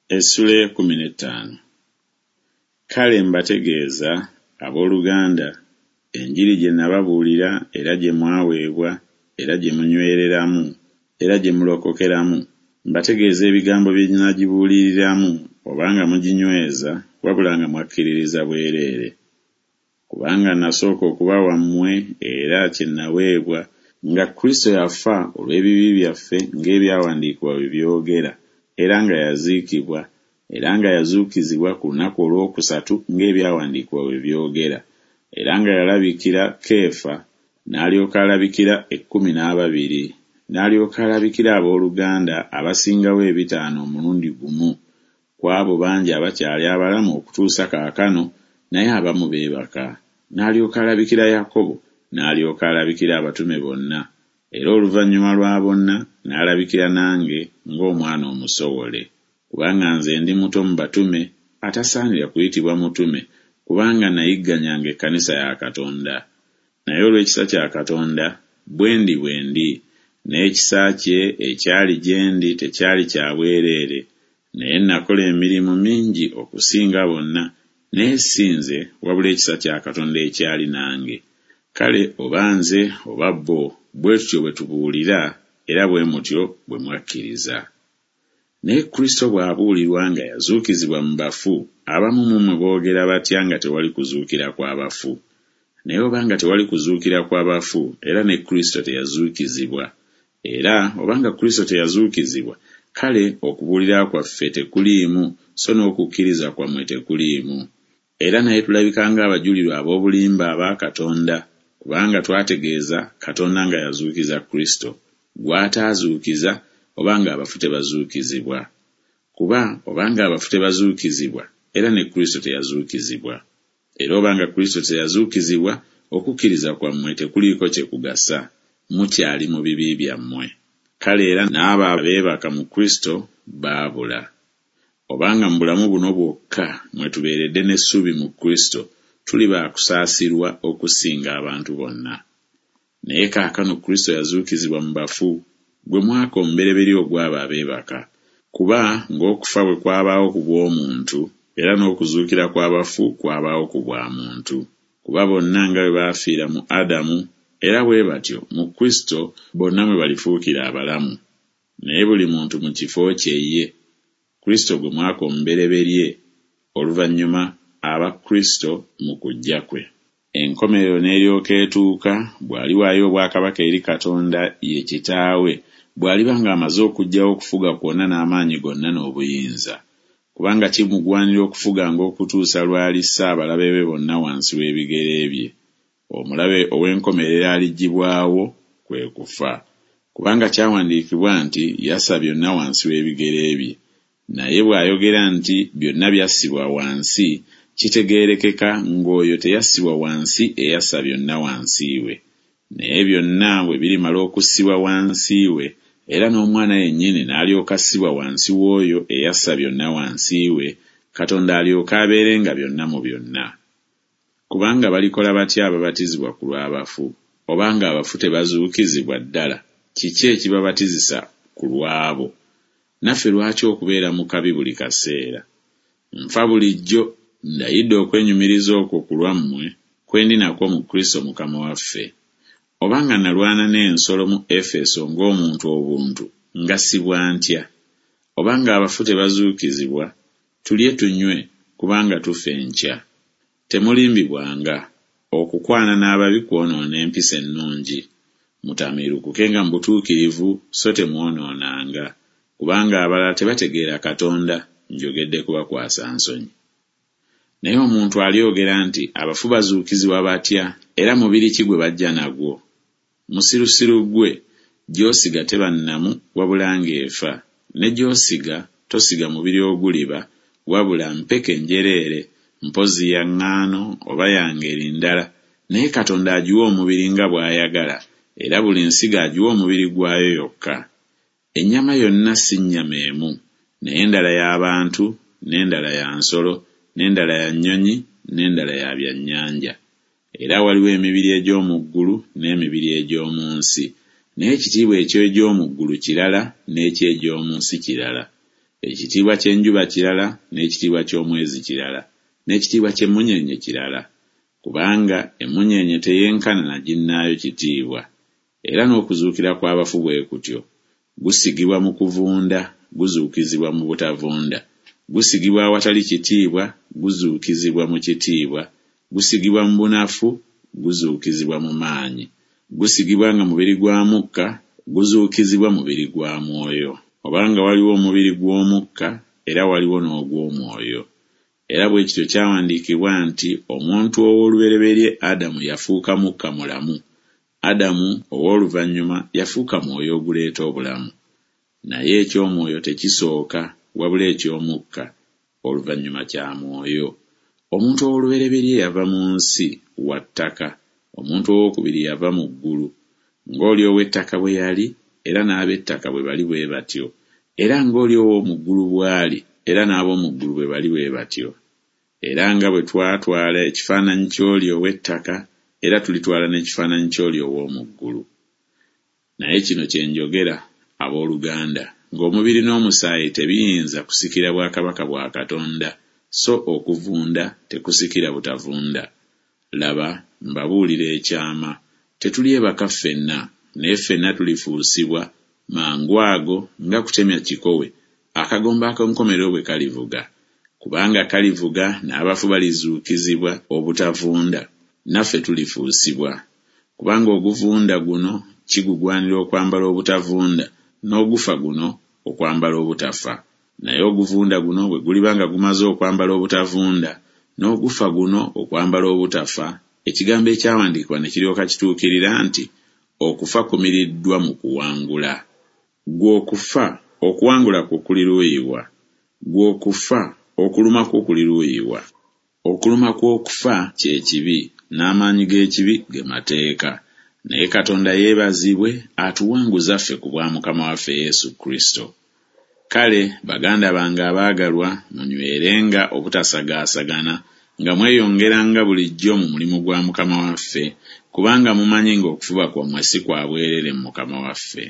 Essula ey'ekkumi n'ettaano. Kale mbategeeza, abooluganda, enjiri gye nababuulira era gye mwaweebwa era gye munywereramu era gye mulokokeramu, mbategeeza ebigambo bye nagibuuliriramu, obanga muginyweza, wabula nga mwakkiririza bwereere. Kubanga nasooka okuba wammwe era kye naweebwa, nga Kristo yafa olw'ebibi byaffe ng'ebyawandiikibwa bwe byogera, era nga yaziikibwa, era nga yazuukizibwa ku lunaku olwokusatu ng'ebyawandiikibwa bwe byogera, era nga yalabikira Keefa, n'alyoka alabikira ekkumi n'ababiri, n'alyoka alabikira abooluganda abasingawo ebitaano omulundi gumu, ku abo bangi abakyali abalamu okutuusa kaakano, naye abamu beebaka. N'alyoka alabikira Yakobo, n'alyoka alabikira abatume bonna, era oluvannyuma lwa bonna n'alabikira nange ng'omwana omusowole. Kubanga nze ndi muto mu batume, atasaanira kuyitibwa mutume, kubanga nayigganyanga ekkanisa ya Katonda. Naye olw'ekisa kya Katonda, bwe ndi bwe ndi, n'ekisa kye ekyali gye ndi tekyali kya bwereere, naye nakola emirimu mingi okusinga bonna, naye si nze, wabula ekisa kya Katonda ekyali nange. Kale oba nze oba bo, bwe tutyo bwe tubuulira, era bwe mutyo bwe mwakkiriza. Naye Kristo bw'abuulirwa nga yazuukizibwa mu bafu, abamu mu mmwe boogera batya nga tewali kuzuukira kwa bafu? Naye obanga tewali kuzuukira kwa bafu, era ne Kristo teyazuukizibwa. Era obanga Kristo teyazuukizibwa, kale okubuulira kwaffe tekuliimu, so n'okukkiriza kwammwe tekuliimu. Era naye tulabika ng'abajulirwa ab'obulimba aba Katonda, kubanga twategeeza Katonda nga yazuukiza Kristo, gw'ataazuukiza, obanga abafu tebazuukizibwa. Kuba obanga abafu tebazuukizibwa, era ne Kristo teyazuukizibwa. Era obanga Kristo teyazuukizibwa, okukkiriza kwammwe tekuliiko kye kugasa, mukyali mu bibi byammwe. Kale era n'abo abeebaka mu Kristo baabula. Obanga mu bulamu buno bwokka mwe tubeeredde n'essuubi mu Kristo, tuli ba kusaasirwa okusinga abantu bonna. Naye kaakano Kristo yazuukizibwa mu bafu, gwe mwaka omubereberye ogw'abo abeebaka. Kuba ng'okufa bwe kwabaawo ku bw'omuntu, era n'okuzuukira kw'abafu kwabaawo ku bwa muntu. Kuba bonna nga bwe baafiira mu Adamu, era bwe batyo mu Kristo bonna mwe balifuukira abalamu. Naye buli muntu mu kifo kye ye. Kristo gwe mwaka omubereberye, oluvannyuma aba Kristo mu kujja kwe. Enkomerero n'eryoka etuuka, bw'aliwaayo obwakabaka eri Katonda ye Kitaawe, bw'aliba ng'amaze okuggyawo okufuga kwonna n'amaanyi gonna n'obuyinza. Kubanga kimugwanira okufuganga okutuusa lw'alissa abalabe be bonna wansi w'ebigere bye. Omulabe ow'enkomerero aliggyibwawo, kwe kufa. Kubanga kyawandiikibwa nti yassa byonna wansi w'ebigere bye. Naye bw'ayogera nti byonna byassibwa wansi, kitegeerekeka ng'oyo teyassibwa wansi eyassa byonna wansi we. Naye byonna bwe birimala okussibwa wansi we, era n'Omwana yennyini n'alyoka assibwa wansi w'oyo eyassa byonna wansi we, Katonda alyoke abeerenga byonna mu byonna. Kubanga balikola batya ababatizibwa ku lw'abafu? Obanga abafu tebazuukizibwa ddala, kiki ekibabatizisa ku lw'abo? Naffe lwaki okubeera mu kabi buli kaseera? Nfa bulijjo, ndayidde okwenyumiriza okwo ku lwammwe kwe ndi nakwo mu Kristo Mukama waffe. Obanga nalwana n'ensolo mu Efeso ng'omuntu obuntu, ngasibwa ntya? Obanga abafu tebazuukizibwa, tulye tunywe, kubanga tufa enkya. Temulimbibwanga, okukwana n'ababi kwonoona empisa ennungi. Mutamiirukukenga mu butuukirivu, so temwonoonanga. Kubanga abalala tebategeera Katonda, njogedde kubakwasa nsonyi. Naye omuntu alyogera nti abafu bazuukizibwa batya, era mubiri ki gwe bajja nagwo? Musirusiru ggwe, gy'osiga teba nnamu wabula ng'efa, ne gy'osiga tosiga mubiri oguliba, wabula mpeke njereere, mpozzi ya ŋŋaano oba ya ngeri ndala, naye Katonda agiwa omubiri nga bw'ayagala, era buli nsigo agiwa omubiri gwayo yokka. Ennyama yonna si nnyama emu, naye endala ya bantu, n'endala ya nsolo, n'endala ya nnyonyi, n'endala ya byannyanja. Era waliwo emibiri egy'omu ggulu n'emibiri egy'omu nsi, naye ekitiibwa eky'egy'omu ggulu kirala, n'eky'egy'omu nsi kirala. Ekitiibwa ky'enjuba kirala, n'ekitiibwa ky'omwezi kirala, n'ekitiibwa ky'emmunyeenye kirala, kubanga emmunyeenye teyenkana na ginnaayo kitiibwa. Era n'okuzuukira kw'abafu bwe kutyo. Gusigibwa mu kuvunda, guzuukizibwa mu butavunda. Gusigibwa awatali kitiibwa, guzuukizibwa mu kitiibwa. Gusigibwa mu bunafu, guzuukizibwa mu maanyi. Gusigibwa nga mubiri gwa mukka, guzuukizibwa mubiri gwa mwoyo. Obanga waliwo omubiri gw'omukka, era waliwo n'ogw'omwoyo. Era bwe kityo kyawandiikibwa nti omuntu ow'olubereberye Adamu yafuuka mukka mulamu, Adamu ow'oluvannyuma yafuuka mwoyo oguleeta obulamu. Naye eky'omwoyo tekisooka, wabula eky'omukka, oluvannyuma kya mwoyo. Omuntu ow'olubereberye yava mu nsi, wa ttaka, omuntu ow'okubiri yava mu ggulu. Ng'oli ow'ettaka bwe yali, era n'ab'ettaka bwe bali bwe batyo, era ng'oli ow'omu ggulu bw'ali, era n'ab'omu ggulu bwe bali bwe batyo. Era nga bwe twatwala ekifaananyi ky'oli ow'ettaka, era tulitwala n'ekifaananyi ky'oli ow'omu ggulu. Naye kino kye njogera, ab'oluganda, ng'omubiri n'omusaayi tebiyinza kusikira bwakabaka bwa Katonda, so okuvunda tekusikira butavunda. Laba, mbabuulira ekyama, tetulyebaka ffenna, naye ffenna tulifuusibwa, mangu ago, nga kutemya kikowe, akagombe ak'enkomerero bwe kalivuga. Kubanga kalivuga, n'abafu balizuukizibwa obutavunda, naffe tulifuusibwa. Kubanga oguvunda guno kigugwanira okwambala obutavunda, n'ogufa guno okwambala obutafa. Naye oguvunda guno bwe guliba nga gumaze okwambala obutavunda, n'ogufa guno okwambala obutafa, ekigambo ekyawandiikibwa ne kiryoka kituukirira nti, Okufa kumiriddwa mu kuwangula. Ggwe okufa, okuwangula kwo kuli luuyi wa? Ggwe okufa, okuluma kwo kuli luuyi wa? Okuluma kw'okufa kye kibi, n'amaanyi g'ekibi ge mateeka. Naye Katonda yeebazibwe atuwanguza ffe ku bwa Mukama waffe Yesu Kristo. Kale, baganda bange abaagalwa, munywerenga obutasagaasagana, nga mweyongeranga bulijjo mu mulimu gwa Mukama waffe, kubanga mumanyi ng'okufuba kwammwe si kwa bwereere mu Mukama waffe.